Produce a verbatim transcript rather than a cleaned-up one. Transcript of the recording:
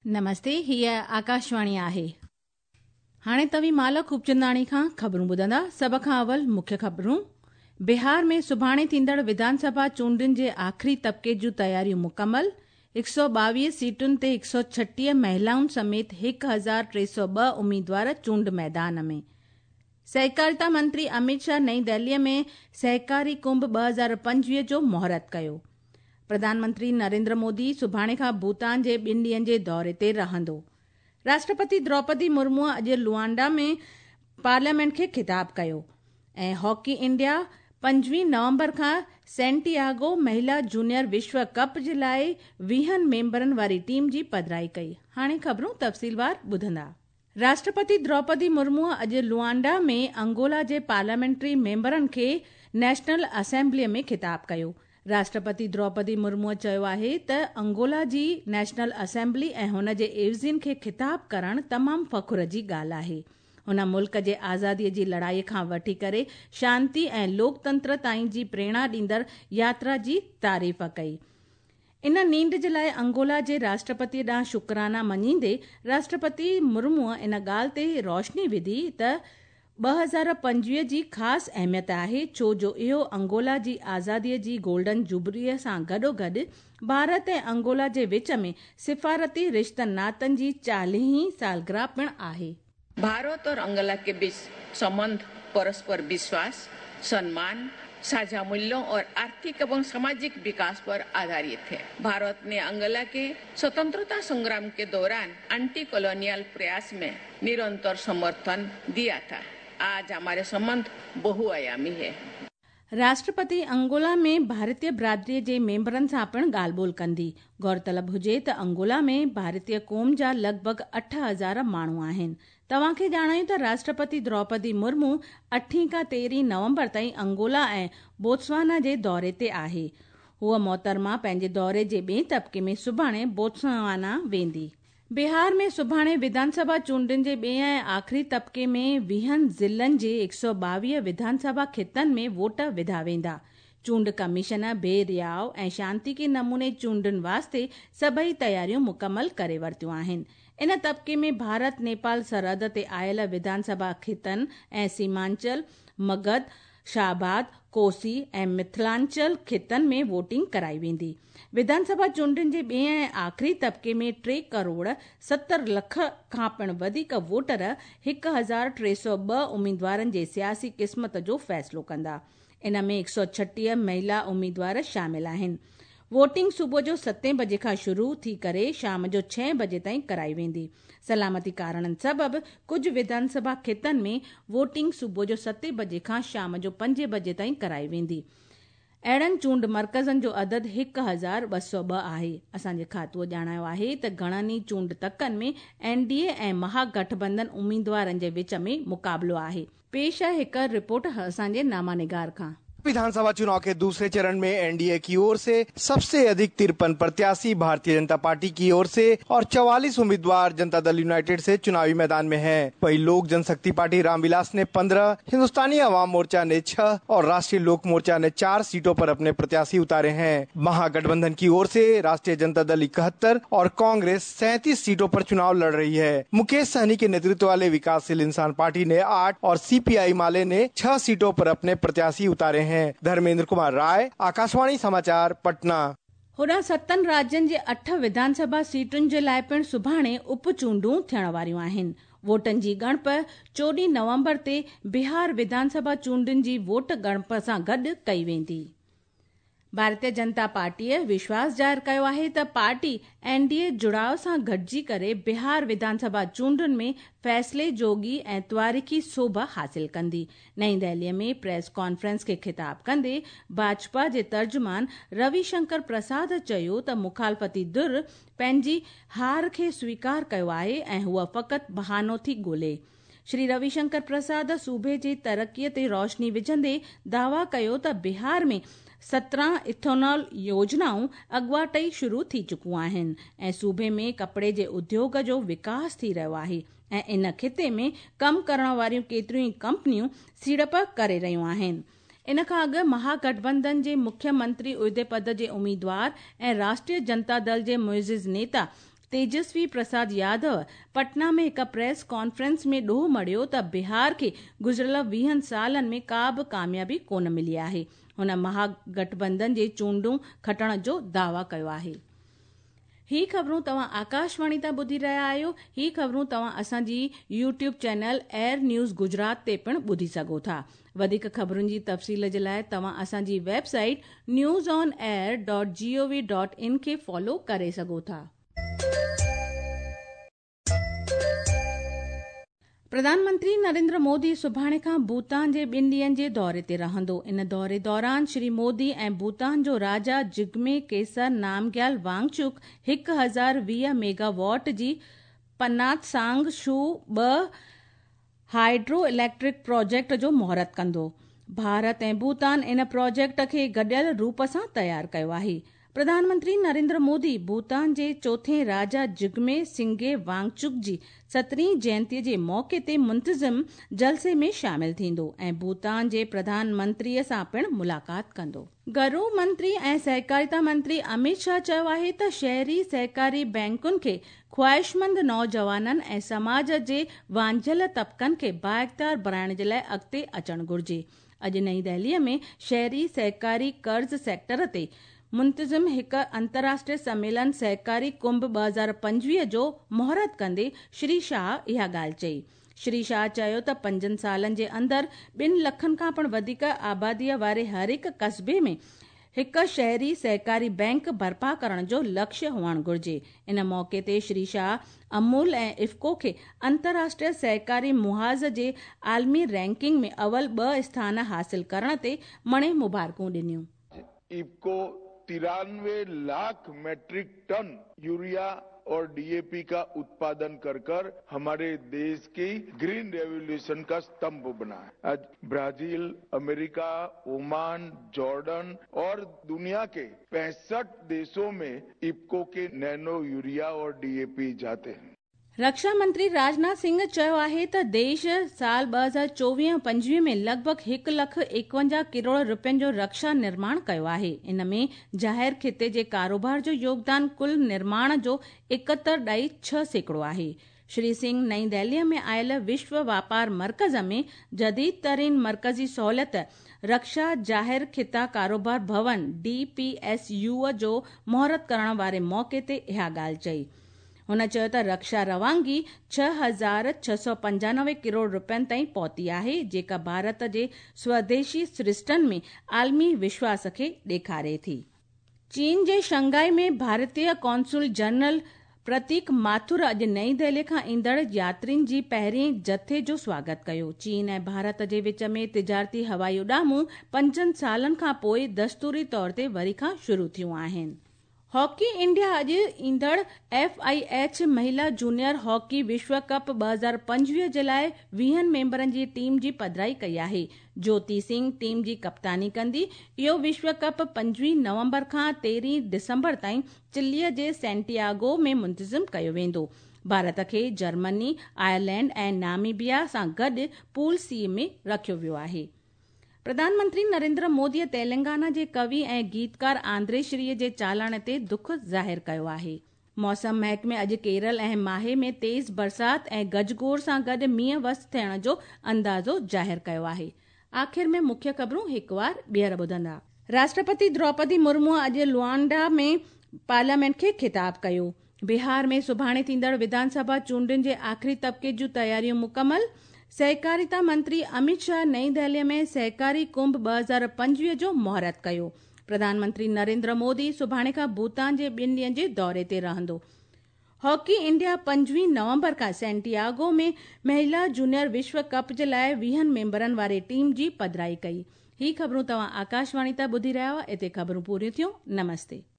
नमस्ते, हीअ आकाशवाणी आहे। हाणे तव्हीं माला खूबचंदाणी खां ख़बरूं ॿुधंदा। सभ खां अवल मुख्य ख़बरूं। बिहार में सुभाणे थींदड़ विधानसभा चूंडुनि जे आख़िरी तबिके जूं तयारियूं मुकमल। हिकु सौ ॿावीह सीटुनि ते हिकु सौ छटीह महिलाउनि समेत हिकु हज़ार टे सौ ॿ उम्मीदवार चूंड मैदान में। सहकारिता मंत्री अमित शाह नई दिल्लीअ में सहकारी कुंभ ॿ हज़ार पंजवीह जो मुहूर्त कयो। प्रधानमंत्री नरेंद्र मोदी सुभाणे खां भूटान जे ॿिनि ॾींहनि जे दौरे ते रहंदो। राष्ट्रपति द्रौपदी मुर्मू अॼु लुआंडा में पार्लियामेंट खे ख़िताब कयो। ऐं हॉकी इंडिया पंजवीह नवंबर खां सेंटियागो महिला जूनियर विश्व कप जे लाइ वीहनि मेंबरनि वारी टीम जी पधराई कई। हाणे ख़बरूं तफ़सीलवार ॿुधंदा। राष्ट्रपति द्रौपदी मुर्मू अॼु लुआंडा में अंगोला जे पार्लियामेंट्री मेंबरनि खे नेशनल असेंबलीअ में ख़िताब कयो। राष्ट्रपति द्रौपदी मुर्मू चयो आहे त अंगोला जी नेशनल असेंबली ऐं हुन जे एवज़ियुनि खे ख़िताब करणु तमामु फ़ख्र जी ॻाल्हि आहे। हुन मुल्क जे आज़ादीअ जी लड़ाई खां वठी करे शांति ऐं लोकतंत्र ताईं जी प्रेरणा ॾींदड़ यात्रा जी तारीफ़ कई। इन नींड जे लाइ अंगोला जे राष्ट्रपति ॾांहुं शुक्राना मञींदे राष्ट्रपति मुर्मू इन ॻाल्हि ते रोशनी विधी त ॿ हज़ार पंजवीह जी ख़ासि अहमियत आहे, छो जो इहो अंगोला जी आज़ादीअ जी गोल्डन जुबलीअ सां गॾोगॾु भारत ऐं अंगोला जे विच में सिफ़ारती रिश्तनि नातनि जी चालीहीं सालगिरह पिणु आहे। भारत और अंगोला के बीच संबंध परस्पर विश्वास, सम्मान, साझा मूल्यों और आर्थिक एवं सामाजिक विकास पर आधारित है। भारत ने अंगोला के स्वतंत्रता संग्राम के दौरान एंटी कॉलोनियल प्रयास में निरंतर समर्थन दिया था। आज हमारे संबंध बहुआयामी है। राष्ट्रपति अंगोला में भारतीय बिरादरीअ जे मेंबरनि सां पिणु ॻाल्हि ॿोल कंदी। गौरतलब हुजे त अंगोला में भारतीय क़ौम जा लॻभॻि अठ हज़ार माण्हू आहिनि। तव्हांखे ॼाणायूं त राष्ट्रपति द्रौपदी मुर्मू अठीं खां तेरहीं नवंबर ताईं अंगोला ऐं बोत्सवाना जे दौरे ते आहे। हूअ मोहतरमा पंहिंजे दौरे जे ॿिए तबिके में सुभाणे बोत्सवाना वेंदी। बिहार में सुभाणे विधानसभा चूंडुनि जे ॿिए ऐं आख़िरी तबिके में वीहनि ज़िलनि जे हिकु सौ ॿावीह विधानसभा ख़ितनि में वोट विधा वेंदा। चूंड कमीशन बेरियाव ऐं शांतिके नमूने चूंडुनि वास्ते सभई तयारियूं मुकमल करे वरितियूं आहिनि। इन तबिके में भारत नेपाल सरहद ते आयल विधानसभा ख़ितनि ऐं सीमांचल, मगध, शाहबाद, कोसी ऐं मिथिलांचल ख़ितनि में वोटिंग कराई वेंदी। विधानसभा चूंडुनि जे ॿिए ऐं आख़िरी तबिके में टे करोड़ सतरि लख खां पिणु वधीक वोटर हिकु हज़ार टे सौ ॿ उम्मीदवारनि जे सियासी क़िस्मत जो फ़ैसिलो कंदा। इन में हिकु सौ छटीह महिला उम्मीदवार शामिल आहिनि। वोटिंग सुबुह जो सतें बजे खां शुरू थी करे शाम जो छह बजे ताईं कराई वेंदी। सलामती कारणनि सबबु कुझु विधानसभा ख़ितनि में वोटिंग सुबुह जो सतें बजे खां शाम जो पंजे बजे ताईं कराई वेंदी। अहिड़नि चूंड मर्कज़नि जो अदद हिकु हज़ार ॿ सौ ॿ आहे। असांजे खातूअ ॼाणायो आहे त घणनि ई चूंड तकनि में एन डी ए ऐं महागठबंधन उम्मीदवारनि जे विच में मुक़ाबिलो आहे। पेश आहे हिकु रिपोर्ट असांजे नामा निगार खां। विधानसभा चुनाव के दूसरे चरण में एनडीए की ओर से सबसे अधिक तिरपन प्रत्याशी भारतीय जनता पार्टी की ओर से और चौवालीस उम्मीदवार जनता दल यूनाइटेड से चुनावी मैदान में हैं। वहीं लोक जनशक्ति पार्टी रामविलास ने पंद्रह, हिंदुस्तानी अवाम मोर्चा ने छह और राष्ट्रीय लोक मोर्चा ने चार सीटों पर अपने प्रत्याशी उतारे हैं। महागठबंधन की ओर से राष्ट्रीय जनता दल इकहत्तर और कांग्रेस सैंतीस सीटों पर चुनाव लड़ रही है। मुकेश सहनी के नेतृत्व वाले विकासशील इंसान पार्टी ने आठ और सीपीआई माले ने छह सीटों पर अपने प्रत्याशी उतारे हैं। धर्मेंद्र कुमार राय, आकाशवाणी समाचार, पटना। होॾां सतनि राज्यनि जे अठ विधानसभा सीटुनि जे लाइ पिणु सुभाणे उप चूंडूं थियण वारियूं आहिनि। वोटनि जी ॻणप चोॾहीं नवंबर ते बिहार विधानसभा चूंडुनि जी वोट ॻणप सां गॾु कई वेंदी। भारतीय जनता पार्टीअ विश्वास ज़ाहिर कयो आहे त पार्टी एन डी ए जुड़ाव सां गॾिजी करे बिहार विधानसभा चूंडुनि में फ़ैसिले जोगी ऐं तवारीख़ी सोभ हासिल कंदी। नई दिल्लीअ में प्रेस कॉन्फ्रेंस खे ख़िताब कंदे भाजपा जे तर्जुमान रविशंकर प्रसाद चयो त मुखालफ़ती धुर पंहिंजी हार खे स्वीकार कयो आहे ऐं हूअ फ़क़ति बहानो थी ॻोल्हे। श्री रविशंकर प्रसाद सूबे जे तरक़ीअ ते रोशनी विझंदे दावा कयो त बिहार में सत्रहं इथेनॉल योजनाऊं अॻवाट ई शुरू थी चुकियूं आहिनि ऐं सूबे में कपिड़े जे उद्योग जो विकास थी रहियो आहे ऐं इन ख़िते में कमु करण वारियूं केतिरियूं ई कंपनियूं सीड़प करे रहियूं आहिनि। इन खां अॻु महागठबंधन जे मुख्यमंत्री उहिदे पद जे उम्मीदवार ऐं राष्ट्रीय जनता दल जे मुइज़िज़ नेता तेजस्वी प्रसाद यादव पटना में हिकु प्रेस कॉन्फ्रेंस में ॾोह मढ़ियो त बिहार खे गुज़िरियल वीहनि सालनि में का बि कामयाबी कोन मिली आहे। हुन महागठबंधन जे चूंडूं खटण जो दावा कयो आहे। ही ख़बरूं तव्हां आकाशवाणी तां ॿुधी रहिया आहियो। ही ख़बरूं तव्हां असांजी YouTube channel Air News Gujarat ते पिणु ॿुधी सघो था। वधीक ख़बरुनि जी तफ़सील जे लाइ तव्हां असांजी website news on air dot G O V dot in खे फॉलो करे सघो था। प्रधानमंत्री नरेंद्र मोदी सुभाणे खां भूटान जे ॿिनि ॾींहंनि जे दौरे ते रहंदो। इन दौरे दौरान श्री मोदी ऐं भूटान जो राजा जिग्मे केसर नामग्याल वांगचुक हिकु हज़ार वीह मेगावाट जी पनातसांग शू ॿ हाइड्रो इलेक्ट्रिक प्रोजेक्ट जो मुहूर्त कंदो। भारत ऐं भूटान इन प्रोजेक्ट खे गॾियल रूप सां तयारु कयो आहे। प्रधानमंत्री नरेंद्र मोदी भूटान जे चोथें राजा जिग्मे सिंगे वांगचुक जी सतरहीं जयंतीअ जे मौक़े ते मुंतज़िम जलसे में शामिल थींदो ऐं भूटान जे प्रधानमंत्रीअ सां पिणु मुलाक़ात कंदो। घरू मंत्री ऐं सहकारिता मंत्री अमित शाह चयो आहे त शहरी सहकारी बैंकुनि खे ख़्वाहिशमंद नौजवाननि ऐं समाज जे वांझियल तबक़नि खे बाइख़्तियार बणाइण जे लाइ अॻिते अचणु घुरिजे। अॼु नई दिल्लीअ में शहरी सहकारी कर्ज़ सेक्टर ते मुंतज़िम हिकु अंतर्राष्ट्रीय सम्मेलन सहकारी कुंभ ॿ हज़ार पंजवीह जो मुहूर्त कंदे श्री शाह इहा ॻाल्हि चई। श्री शाह चयो त पंजनि सालनि जे अंदरि ॿिनि लखनि खां पिणु वधीक आबादीअ वारे हर हिकु क़स्बे में हिकु शहरी सहकारी बैंक बर्पा करण जो लक्ष्य हुअणु घुरिजे। इन मौक़े ते श्री शाह अमूल ऐं इफ़को खे अंतर्राष्ट्रीय सहकारी मुहाज़ जे आलमी रैंकिंग में अव्वल ॿ स्थान हासिल करण ते मणे मुबारकूं ॾिनियूं। इफ़को तिरानवे लाख मैट्रिक टन यूरिया और डीएपी का उत्पादन कर कर हमारे देश की ग्रीन रेवोल्यूशन का स्तंभ बना है। आज ब्राजील, अमेरिका, ओमान, जॉर्डन और दुनिया के पैंसठ देशों में इफ्को के नैनो यूरिया और डीएपी जाते हैं। रक्षा मंत्री राजनाथ सिंह चयो आहे त देश साल ॿ हज़ार चोवीह पंजवीह में लॻभॻि हिकु लख एकवंजाह करोड़ रुपयनि जो रक्षा निर्माण कयो आहे। इन में ज़ाहिर खिते जे कारोबार जो योगदान कुल निर्माण जो एकहतरि ॾाई छह सैकड़ो आहे। श्री सिंह नई दिल्लीअ में आयल विश्व वापार मर्कज़ में जदीद तरीन मर्कज़ी सहूलियत रक्षा ज़ाहिर खिता कारोबार भवन डी पी एस यू जो मुहूर्त करण वारे मौक़े ते इहा ॻाल्हि चई। हुन चयो त रक्षा रवानगी छह हज़ार छह सौ पंजानवे करोड़ रुपयनि ताईं पहुती आहे, जेका भारत जे स्वदेशी सृष्टनि में आलमी विश्वास खे ॾेखारे थी। चीन जे शंघाई में भारतीय कौंसुल जनरल प्रतीक माथुर अॼु नई दिल्ली खां ईंदड़ यात्रियुनि जी पहिरीं जथे जो स्वागत कयो। चीन ऐं भारत जे विच में तिजारती हवाई उॾामूं पंजनि सालनि खां पोइ दस्तूरी तौर ते वरी खां शुरू थियूं आहिनि। हॉकी इंडिया अॼु ईंदड़ एफ I H महिला जूनियर हॉकी विश्व कप ॿ हज़ार पंजवीह जे लाइ वीहनि मेंबरनि जी टीम जी पधराई कई आहे। ज्योति सिंह टीम जी कप्तानी कंदी। इहो विश्व कप पंजवीह नवंबर खां तेरहीं दिसंबर ताईं चिलीअ जे सैंटियागो में मुंतज़िम कयो वेंदो। भारत खे जर्मनी, आयरलैंड ऐं नामीबिया सां गॾु पूल सी में रखियो वियो आहे। प्रधानमंत्री नरेंद्र मोदीअ तेलंगाना जे कवि ऐं गीतकार आंद्रेश्रीअ जे चालण ते दुख ज़ाहिर कयो आहे। मौसम महकमे अॼु केरल ऐं माहे में तेज़ बरसात ऐं गजगोर सां गॾु मींहुं वस थियण जो अंदाज़ो ज़ाहिर कयो आहे। आख़िर में मुख्य ख़बरूं हिकु वार ॿीहर ॿुधंदा। राष्ट्रपति द्रौपदी मुर्मू अॼु लुआंडा में पार्लियामेंट खे ख़िताब कयो। बिहार में सुभाणे थींदड़ विधानसभा चूंडुनि जे आख़िरी तबिके जूं तयारियूं मुकमल। सहकारिता मंत्री अमित शाह नई दिल्ली में सहकारी कुंभ ॿ हज़ार पंजवीह जो मुहूर्त कयो। प्रधानमंत्री नरेंद्र मोदी सुभाणे खां भूटान जे ॿिनि ॾींहंनि जे दौरे ते रहंदो। हॉकी इंडिया पंजवीह नवंबर खां सैंटियागो में महिला जूनियर विश्व कप जे लाइ वीहनि मेंबरनि वारी टीम जी पधराई कई। ही ख़बरूं तव्हां आकाशवाणी तां ॿुधी रहिया हुआ। हिते ख़बरूं पूरियूं थियूं। नमस्ते।